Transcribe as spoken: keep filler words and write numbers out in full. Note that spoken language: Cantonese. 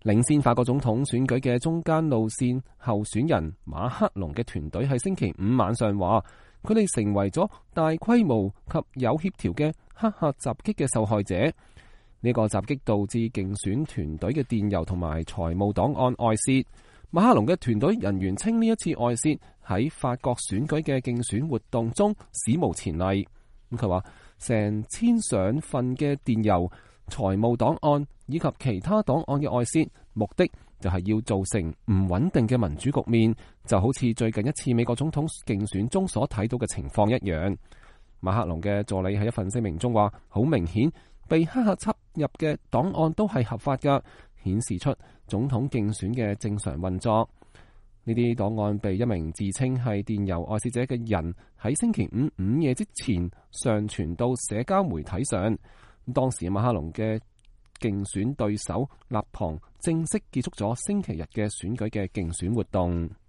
領先法國總統選舉嘅中間路線候選人馬克龍嘅團隊喺星期五晚上話，佢哋成為咗大規模及有協調嘅黑客襲擊嘅受害者。呢個襲擊導致競選團隊嘅電郵同埋財務檔案外泄。馬克龍嘅團隊人員稱呢一次外泄喺法國選舉嘅競選活動中史無前例。咁佢話，成千上份嘅電郵、財務檔案以及其他檔案嘅外泄，目的就係要造成唔穩定嘅民主局面，就好似最近一次美國總統競選中所睇到嘅情況一樣。馬克龍嘅助理喺一份聲明中話，好明顯被黑客插入嘅檔案都係合法㗎，顯示出總統競選嘅正常運作。呢啲檔案被一名自稱係電郵外泄者嘅人喺星期五午夜之前上傳到社交媒體上。當時馬克龍嘅競選對手勒龐正式結束咗星期日嘅選舉嘅競選活動。